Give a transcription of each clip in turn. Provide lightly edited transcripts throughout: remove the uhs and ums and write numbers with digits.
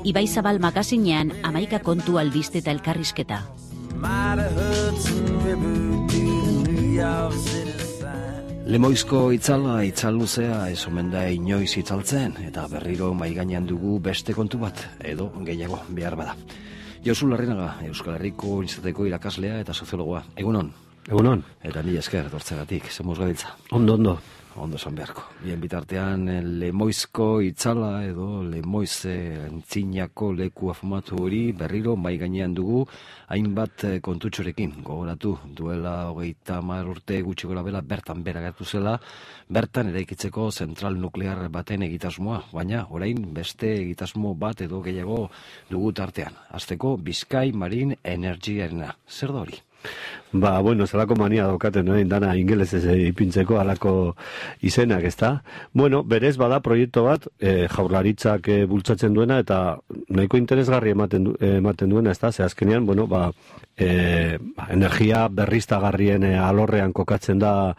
Ibaizabal magazinean 11 kontu albiste eta elkarrizketa. Lemoizko itzala, itzaluzea ez omen da inoiz itzaltzen, eta berriro maigainean dugu beste kontu bat, edo gehiago behar bada. Josu Larrinaga, Euskal Herriko Unibertsitateko irakaslea eta soziologoa. Egunon? Egunon. Eta mila esker, dortzegatik, zemuz gabiltza. Ondo. Ondo esan beharko. Bien bitartean, Lemoizko itzala edo Lemoize antzinako leku afamatu hori berriro mai gainean dugu hainbat kontutxorekin. Gogoratu, duela 30 urte gutxi gorabehera bertan bera gertu zela, bertan eraikitzeko zentral nuklear baten egitasmoa, baina orain beste egitasmo bat edo gehiago dugu tartean. Hasteko Bizkai Marine Energyarena. Zer da hori? Zelako mania daukaten, dana ingelesez ipintzeko alako izenak, ezta? Berez bada proiektu bat, Jaurlaritzak bultzatzen duena eta nahiko interesgarri ematen duena, ezta? Ze azkenean, energia berriztagarrien alorrean kokatzen da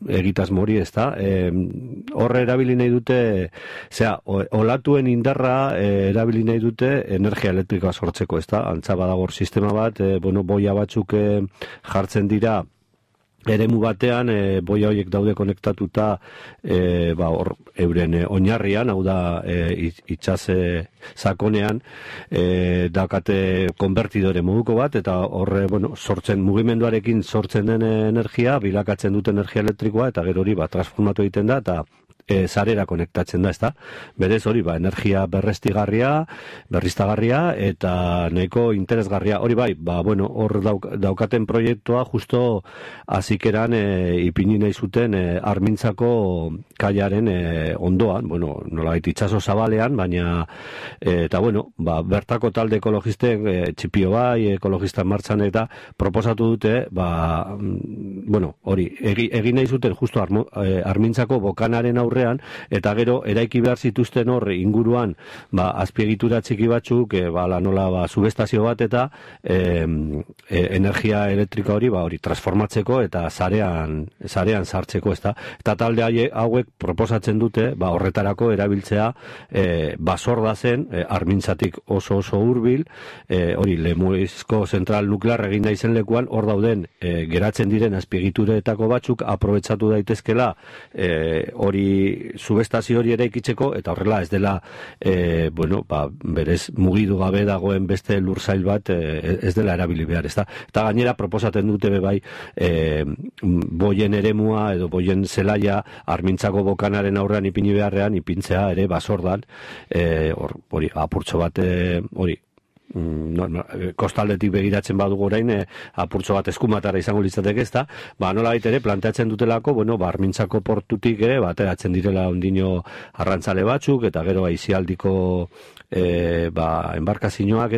egitasmo hori, ezta? Horre erabili nahi dute, olatuen indarra erabili nahi dute energia elektrikoa sortzeko, ezta? Antza badagor sistema bat, boia batzuk jartzen dira eremu batean, boia horiek daude konektatuta euren oinarrian, hau da itsas sakonean, daukate konbertidore moduko bat, eta horre, sortzen, mugimenduarekin sortzen den energia, bilakatzen dute energia elektrikoa, eta gero hori transformatu egiten da, eta sarera konektatzen da, ezta? Berez hori, energia berriztagarria eta nahiko interesgarria. Hori hor daukaten proiektua justo hasikeran ipini nahi zuten Armintzako kaiaren ondoan, nolabait itsaso zabalean, baina eta bertako talde ekologisten txipio ekologistan martxan eta proposatu dute, hori, egin nahi zuten justo Armintzako bokanaren aurre eta gero eraiki behar zituzten hor inguruan azpiegitura txiki batzuk subestazio bat eta energia elektrika hori transformatzeko eta sarean sartzeko, ezta? Eta talde hauek proposatzen dute horretarako erabiltzea basorda zen Armintzatik oso hurbil, hori Lemoizko zentral nuklear egin nahi zen lekuan, hor dauden geratzen diren azpiegituretako batzuk aprobetxatu daitezkela hori subestazio hori eraikitzeko, eta horrela ez dela berez mugidu gabe dagoen beste lursail bat ez dela erabili behar, ezta? Eta gainera proposatzen dute boien eremua edo boien zelaia Armintzako bokanaren aurrean ipini beharrean ipintzea ere basordan, hori apurtxo bat hori kostaldetik begiratzen badugu orain apurtxo bat eskumatara izango litzateke, ezta? Nola ere planteatzen dutelako, Armintzako portutik ere ateratzen direla ondino arrantzale batzuk eta gero aisialdiko enbarkazioak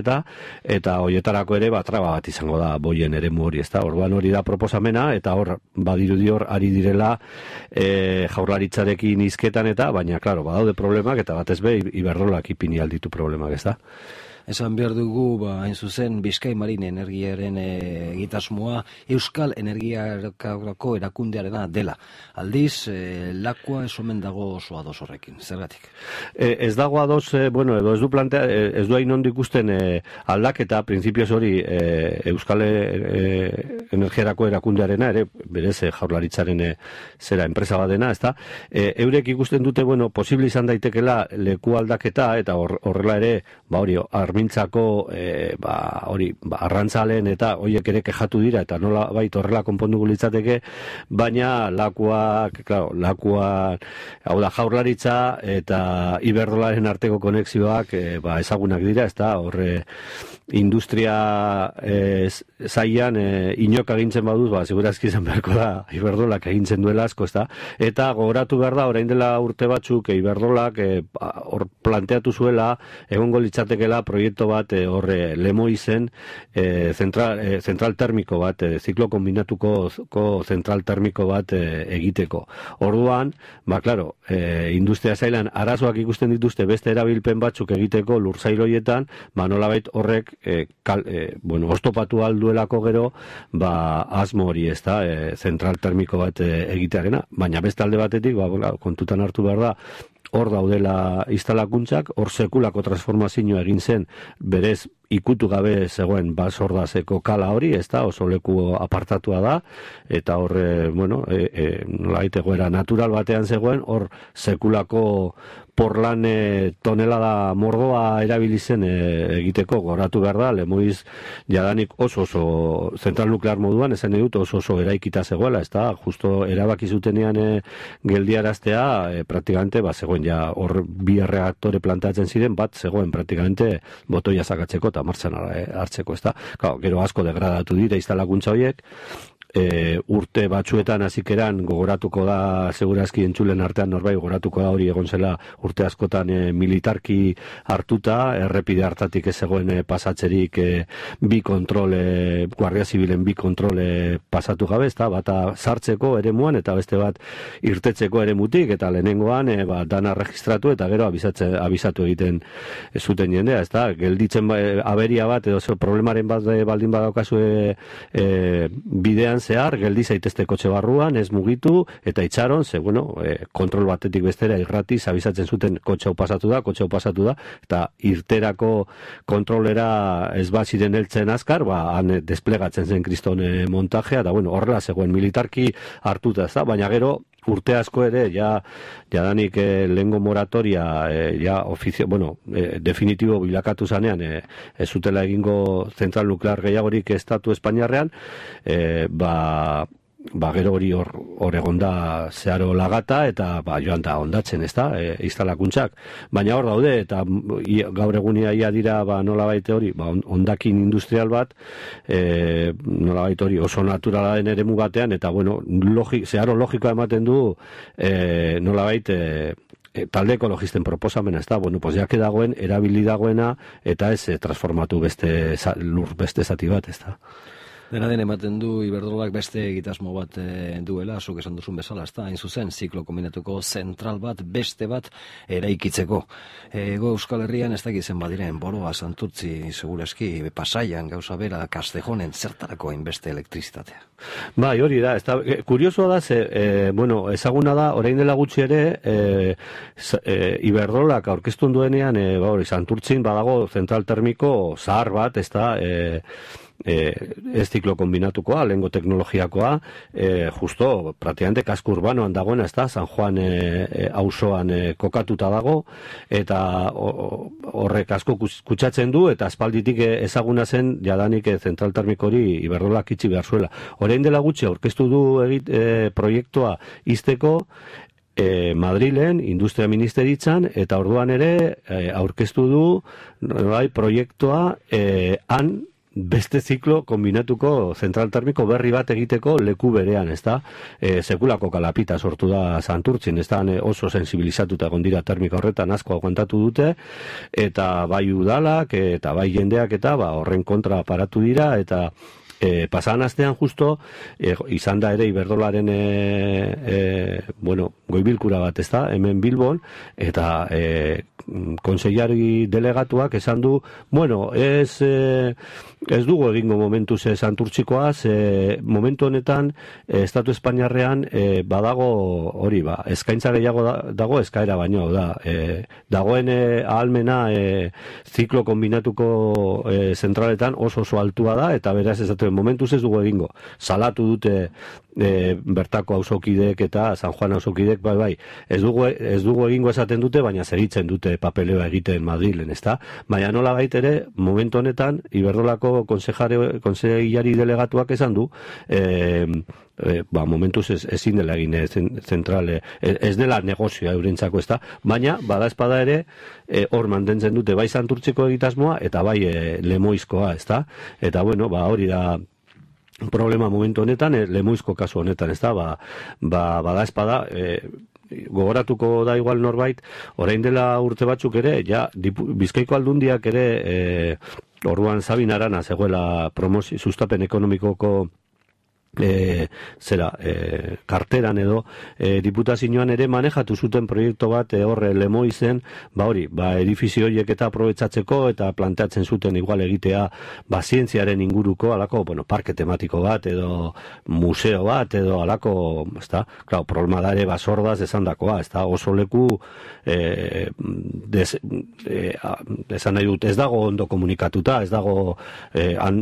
eta horietarako ere traba bat izango da boien eremu hori, ezta? Orduan hori da proposamena eta hor badirudi hor ari direla Jaurlaritzarekin hizketan baina claro, badaude problemak eta batez be Iberdrolak ipini alditu problemak, ezta? Esan behar dugu, hain zuzen, Bizkai Marine Energiaren egitasmoa Euskal Energiarako erakundearena dela. Aldiz, lakua ez omen dago oso ados horrekin. Zergatik? Ez dago ados, edo ez du plantea, ez du hain ondo ikusten aldaketa, printzipioz hori Euskal Energiarako erakundearena, ere, berez Jaurlaritzaren zera enpresa badena, ezta? Eurek ikusten dute, posible izan daitekela leku aldaketa, eta horrela ere, hori, Armintzako arrantzaleen eta horiek ere kexatu dira eta nola horrela konponduko litzateke, baina lakua, hau da Jaurlaritza eta Iberdrolaren arteko konexioak ezagunak dira, ezta? Horre industria zaian inok agintzen baduz, segurazki izan beharko da Iberdrolak agintzen duela asko, ezta? Eta gogoratu behar da, orain dela urte batzuk Iberdrolak hor planteatu zuela egongo litzatekela proiektu bat horre Lemoizen zentral termiko bat, ziklo kombinatuko zentral termiko bat egiteko. Orduan, claro, industria zailan arazoak ikusten dituzte beste erabilpen batzuk egiteko lursail horietan, nolabait horrek oztopatu alduelako gero, asmo hori, zentral termiko bat egitearena. Baina beste alde batetik, kontutan hartu behar da, hor daudela instalakuntzak, hor sekulako transformazioa egin zen, berez ikutu gabe zegoen basordazeko kala hori, ez da, oso leku apartatua da, eta hor, nolabait egoera natural batean zegoen, hor sekulako porlan tonelada mordoa erabili zen egiteko, goratu behar da, Lemoiz jadanik oso zentral nuklear moduan, esan dut oso eraikita zegoela, ez da, justo erabaki zutenean geldiaraztea, praktikamente, zegoen ja, hor bi reaktore plantatzen ziren, bat zegoen praktikamente botoia sakatzeko eta martxan hartzeko, ez da. Gero asko degradatu dira instalakuntza horiek, urte batzuetan hasikeran gogoratuko da, segurazki entzulen artean norbait gogoratuko da hori egon zela urte askotan militarki hartuta, errepide hartatik ez zegoen pasatzerik bi kontrole, Guardia Zibilen bi kontrole pasatu gabe, ez da, bata sartzeko eremuan eta beste bat irtetzeko eremutik, eta lehenengoan dana registratu eta gero abisatu egiten zuten jendea, ez da, gelditzen aberia bat edo problemaren bat baldin badaukazu bidean zehar, geldi zaitezte kotxe barruan, ez mugitu, eta itxaron, kontrol batetik bestera irratiz abisatzen zuten kotxe hau pasatu da, eta irterako kontrolera ez bat ziren heltzen azkar, han desplegatzen zen kriston montajea, eta horrela zegoen militarki hartuta, ez da, baina gero, urte asko ere, jadanik lehengo moratoria, definitibo bilakatu zanean, ez zutela egingo zentral nuklear gehiagorik estatu espainiarrean, gero hori hor egonda zeharo lagata, eta joan da ondatzen, ez da, instalakuntzak. Baina hor daude, eta gaur egunia ia dira, nolabait hori, ondakin industrial bat, nolabait hori oso naturala den eremu batean, eta zeharo logikoa ematen du, nolabait, talde ekologisten proposamena, ez da, jake dagoen, erabili dagoena, eta ez transformatu beste zati bat, ez da. Dena den ematen du Iberdrolak beste egitasmo bat duela, zuk esan duzun bezala, ez da, hain zuzen, ziklo kombinatuko zentral bat, beste bat eraikitzeko. Ego Euskal Herrian ez dakizen badiren, Boroa, Santurtzi, segurazki, Pasaian, gauza bera, Kastejonen, zertarako hainbeste elektrizitatea. Bai, hori da, ez da, kuriosoa da, ezaguna da, orain dela gutxi ere, Iberdrolak aurkeztun duenean, Santurtzin badago zentral termiko zahar bat, ez da, ez ziklo kombinatukoa, lehengo teknologiakoa, justo, praktikamente kasko urbanoan dagoena, ez da, San Juan auzoan kokatuta dago, eta horrek asko kutsatzen du, eta aspalditik ezaguna zen, jadanik zentral termiko hori Iberdrolak itxi behar zuela. Orain dela gutxi aurkeztu du proiektua izteko, Madrilen, Industria Ministeritzan, eta orduan ere aurkeztu du proiektua han beste ziklo kombinatuko zentral termiko berri bat egiteko leku berean, ez da? Sekulako kalapita sortu da Santurtzin, ez da, oso sensibilizatuta egon dira termika horretan asko aguantatu dute, eta bai udalak, eta bai jendeak, eta horren kontra paratu dira, eta pasadan astean justo izan da ere Iberdrolaren goibilkura bat, ez da, hemen Bilbon, eta konseilari delegatuak esan du, ez dugu egingo momentuz Santurtzikoaz, momentu honetan Estatu Espainiarrean badago hori, eskaintza gehiago dago eskaera baino, dagoen ahalmena ziklo kombinatuko zentraletan oso altua da, eta beraz ez momentuz ez dugu egingo. Salatu dute bertako auzokideek eta San Juan auzokideek, ez dugu egingo esaten dute, baina segitzen dute papeleoa egiten Madrilen, ez da? Baina nola ere, momentu honetan, Iberdrolako konseilari delegatuak esan du, momentuz ezin dela egin zentrale, ez dela negozioa eurentzako, ez da? Baina, bada espada ere, hor mantentzen dute bai Santurtziko egitasmoa, eta bai Lemoizkoa, ez da? Eta, hori da problema momentu honetan, Lemoizko kasu honetan, ez da? Bada espada, gogoratuko da igual norbait, orain dela urte batzuk ere, Bizkaiko Aldundiak ere, orduan Sabin Arana zegoela sustapen ekonomikoko karteran edo diputazioan ere manejatu zuten proiektu bat horre Lemoizen, edifizio horiek eta aprobetxatzeko eta planteatzen zuten igual egitea zientziaren inguruko alako, parke tematiko bat edo museo bat edo alako, problema da ere basordaz esandakoa, oso leku esan nahi dut, ez dago ondo komunikatuta, ez dago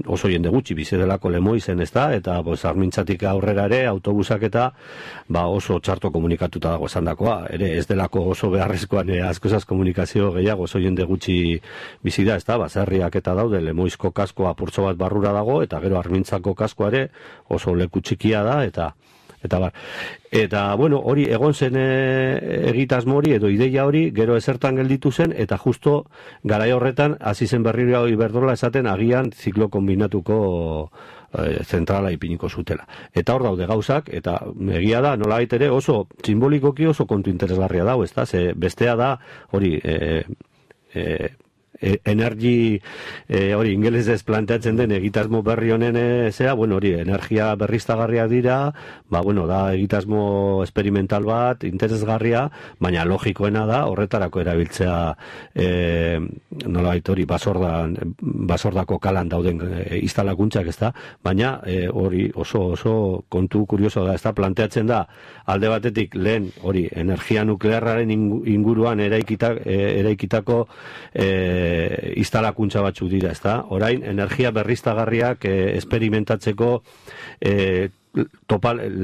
oso jende gutxi bizi delako Lemoizen, eta Armintzatik aurrera ere autobusak eta oso txarto komunikatuta dago esandakoa, ere ez delako oso beharrezkoan askozaz komunikazio gehiago oso jende gutxi bizi da, baserriak eta daude, Lemoizko kaskoa apurtxo bat barrura dago, eta gero Armintzako kaskoa ere oso leku txikia da, eta hori egon zen egitasmo hori edo ideia hori gero ezertan gelditu zen, eta justo garai horretan hasi zen berriro Iberdrola esaten agian ziklo kombinatuko zentrala ipiniko zutela. Eta hor daude gauzak, eta egia da, nolabait ere oso simbolikoki oso kontu interesgarria dago, bestea da, hori, energi, hori ingelesez planteatzen den egitasmo berri honen hori, energia berriztagarriak dira, da egitasmo experimental bat, interesgarria, baina logikoena da horretarako erabiltzea nolabait hori basordako kalan dauden instalakuntzak, baina hori oso kontu kurioso da, planteatzen da alde batetik lehen hori energia nuklearraren inguruan eraikitako instalakuntza batzuk dira, orain energia berriztagarriak experimentatzeko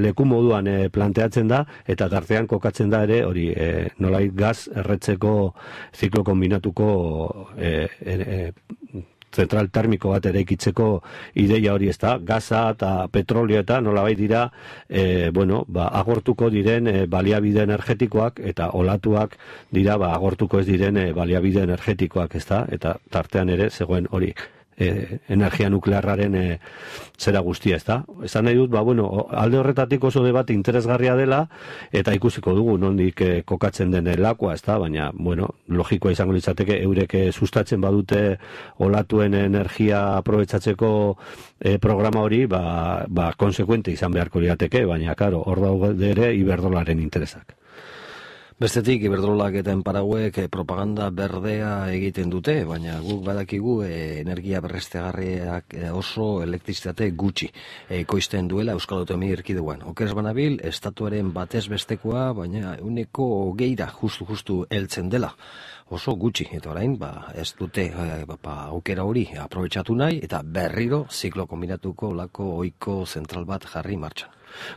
leku moduan planteatzen da, eta tartean kokatzen da ere hori nolait gaz erretzeko ziklo kombinatuko zentral termiko bat eraikitzeko ideia hori, gaza eta petrolio eta nolabait dira agortuko diren baliabide energetikoak, eta olatuak dira agortuko ez diren baliabide energetikoak, eta tartean ere zegoen hori energia nuklearraren zera guztia, esan nahi dut, alde horretatik oso debat interesgarria dela, eta ikusiko dugu nondik kokatzen den lakua, baina, logikoa izango litzateke eurek sustatzen badute olatuen energia aprobetxatzeko programa hori, konsekuente izan beharko lirateke, baina, karo, hor daude ere Iberdrolaren interesak. Bestetik, Iberdrolak eta Enparauek propaganda berdea egiten dute, baina guk badakigu energia berriztagarriak oso elektrizitate gutxi ekoizten duela Euskal Autonomia Erkidegoan. Okerez banabil, estatuaren batez bestekoa, baina 20% justu heltzen dela. Oso gutxi, eta orain, ez dute aukera hori aprobetxatu nahi, eta berriro ziklo kombinatuko lako oiko zentral bat jarri martxan.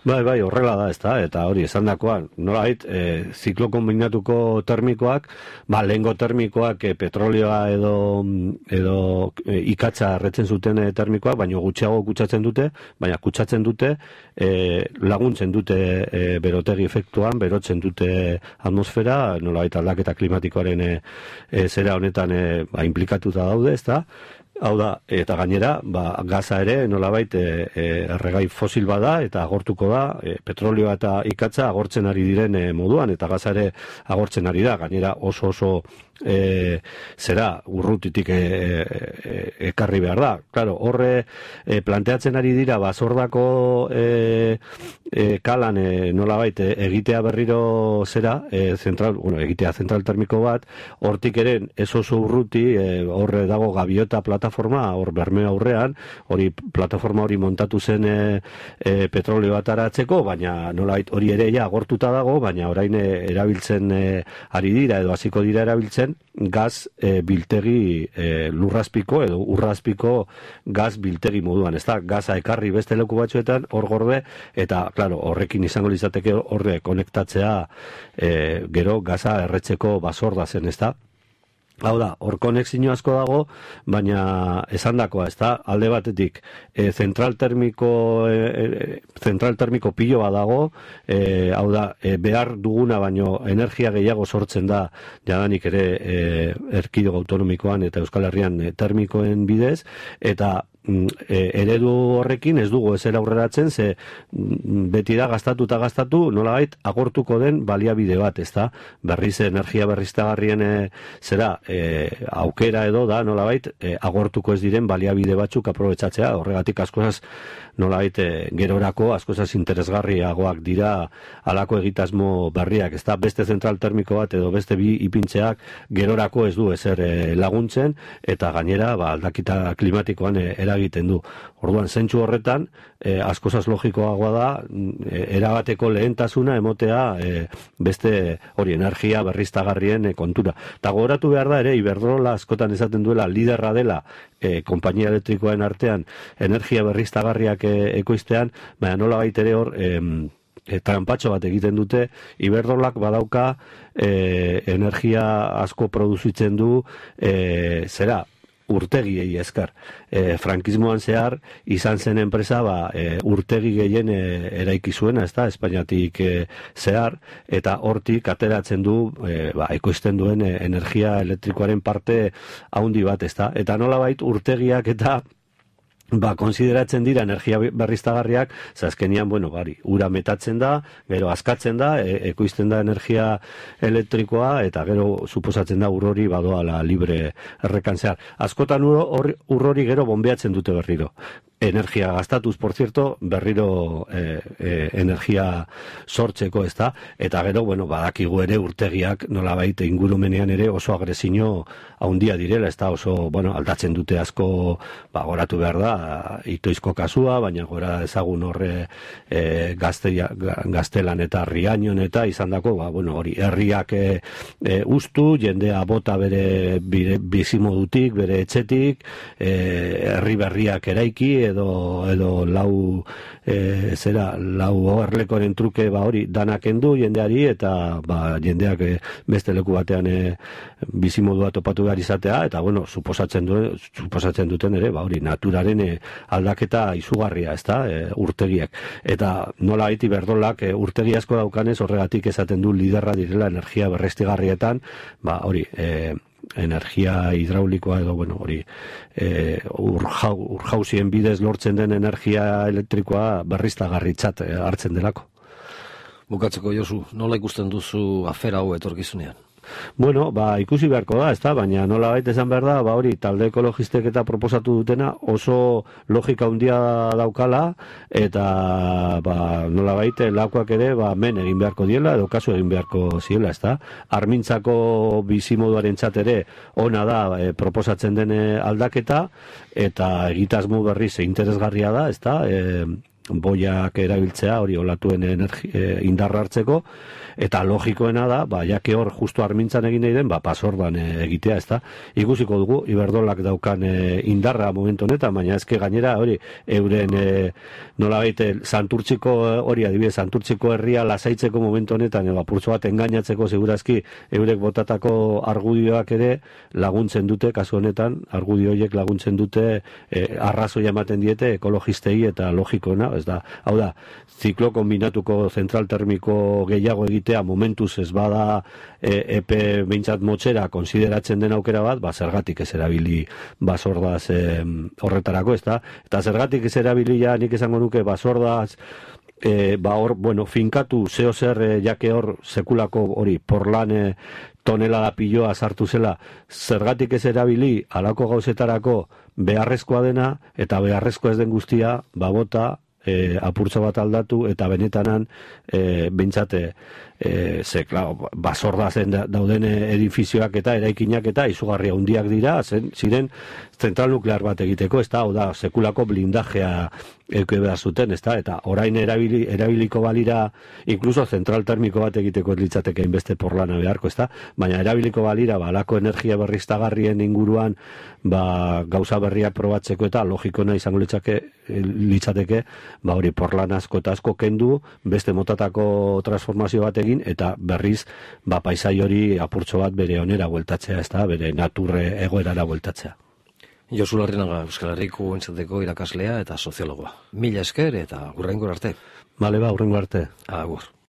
Bai, horrela da, eta hori esandakoan, nolait, ziklo kombinatuko termikoak, lehengo termikoak petrolioa edo ikatza erretzen zuten termikoak, baina gutxiago kutsatzen dute, laguntzen dute berotegi efektuan, berotzen dute atmosfera, nolait aldaketa klimatikoaren zera honetan implikatuta daude, hau da, eta gainera, gaza ere nolabait erregai fosil bada, eta agortuko da, petrolioa eta ikatza agortzen ari diren moduan, eta gaza ere agortzen ari da, gainera oso zera urrutitik ekarri behar da. Claro, horre planteatzen ari dira basordako kalan nolabait egitea berriro zera, egitea zentral termiko bat, hortik eren ez oso urruti, horre dago gaviota plataforma, hor Bermeo aurrean, hori plataforma hori montatu zen petrolio bat aratzeko, baina nolabait hori ere agortuta dago, baina orain erabiltzen ari dira, edo hasiko dira erabiltzen, gaz biltegi lurrazpiko edo urrazpiko gaz biltegi moduan, gaza ekarri beste leku batzuetan hor gorde, eta claro, horrekin izango litzateke horre konektatzea gero gaza erretzeko basorda zen, Hau da, hor konexio asko dago, baina esandakoa, alde batetik zentral termiko piloa dago, hau da, behar duguna baino energia gehiago sortzen da jadanik ere erkidego autonomikoan eta Euskal Herrian termikoen bidez, eta eredu horrekin ez dugu ezer aurreratzen, ze beti da gastatu, nolabait agortuko den baliabide bat, ezta? Berriz energia berriztagarrien aukera edo da, nolabait agortuko ez diren baliabide batzuk aprobetxatzea, horregatik askozaz nolabait gerorako askozaz interesgarriagoak dira alako egitasmo berriak, ezta? Beste zentral termiko bat edo beste bi ipintzeak gerorako ez du ezer laguntzen, eta gainera aldakita klimatikoan eragiten du. Orduan, zentsu horretan, askozaz logikoagoa da, erabateko lehentasuna emotea beste hori energia berriztagarrien kontura. Eta gogoratu behar da ere, Iberdrola askotan esaten duela liderra dela konpainia elektrikoen artean energia berriztagarriak ekoiztean, baina nola baita ere hor trampatxo bat egiten dute, Iberdrolak badauka energia asko produzitzen du urtegiei esker. Frankismoan zehar izan zen enpresa urtegi gehien eraiki zuena, ezta, Espainiatik zehar, eta hortik ateratzen du ekoizten duen energia elektrikoaren parte haundi bat, ezta. Eta nolabait urtegiak eta konsideratzen dira energia berriztagarriak, azkenian, ura metatzen da, gero askatzen da, ekoizten da energia elektrikoa, eta gero suposatzen da urrori badoala libre errekantzear. Askotan urrori gero bombeatzen dute berriro. Energia gastatuz, por cierto, berriro energia sortzeko, ez da, eta gero, badakigu ere urtegiak nolabait ingurumenean ere oso agresio handia direla, ez da, oso, aldatzen dute asko, goratu behar da, Itoizko kasua, baina gora ezagun horre Gaztelan eta Riañon eta izandako, hori, herriak ustu, jendea bota bere bizimodutik, bere etxetik, herri berriak eraiki, edo lau oherlekoren truke hori danak endu jendeari, eta jendeak beste leku batean bizimodua topatu behar izatea, eta suposatzen duten ere, hori, naturaren aldaketa izugarria, ezta, urtegiak. Eta nola baiti Iberdrolak urtegi asko daukanez, horregatik esaten du liderra direla energia berriztagarrietan, hori, energia hidraulikoa edo, hori, urjauzien bidez lortzen den energia elektrikoa berriztagarritzat hartzen delako. Bukatzeko, Josu, nola ikusten duzu afera hau etorkizunean? Ikusi beharko da, ezta, baina nola baita esan behar da, hori, talde ekologistek eta proposatu dutena oso logika handia daukala, eta nola baita lakoak ere men egin beharko diela, edo kasu egin beharko ziela, ezta. Armintzako bizimoduaren ere ona da proposatzen den aldaketa, eta egitasmo berriz interesgarria da, ezta, boiak erabiltzea, hori olatuen indarra hartzeko, eta logikoena da, jake hor justu Armintzan egin nahi den, pasordan egitea, ezta. Ikusiko dugu, Iberdrolak daukan indarra momentu honetan, baina ezke gainera, hori, euren nola baite, Santurtziko, hori adibidez, Santurtziko herria lasaitzeko momentu honetan, apurtzo bat engainatzeko segurazki, eurek botatako argudioak ere laguntzen dute, kasu honetan, argudioiek laguntzen dute, arrazoia ematen diete ekologistei eta logikoena, ez da, hau da, ziklo kombinatuko zentral termiko gehiago egitea momentuz ez bada epe behintzat motxera konsideratzen den aukera bat, zergatik ez erabili basordaz horretarako, ez da, eta zergatik ez erabili nik esango nuke basordaz hor, finkatu zeo zer jake hor sekulako hori porlan tonelada piloa sartu zela, zergatik ez erabili alako gauzetarako beharrezkoa dena, eta beharrezkoa ez den guztia, bota, apurtzo bat aldatu, eta benetanan behintzate basordazen dauden edifizioak eta eraikinak eta izugarria handiak dira, ziren zentral nuklear bat egiteko, ez da, sekulako blindajea euke behar zuten, ez da, eta orain erabiliko balira, inkluso zentral termiko bat egiteko litzateke inbeste porlana beharko, ez da, baina erabiliko balira, alako energia berriztagarrien inguruan, gauza berriak probatzeko eta logikona izango litzateke, hori porlan asko eta asko kendu, beste motatako transformazio bat egin, eta berriz, paisai hori apurtxo bat bere onera bueltatzea, ez da, bere naturre egoerara bueltatzea. Josu Larrinaga, Euskal Herriko entzateko irakaslea eta soziologoa. Mila esker eta hurrengo arte. Hurrengo arte. Agur.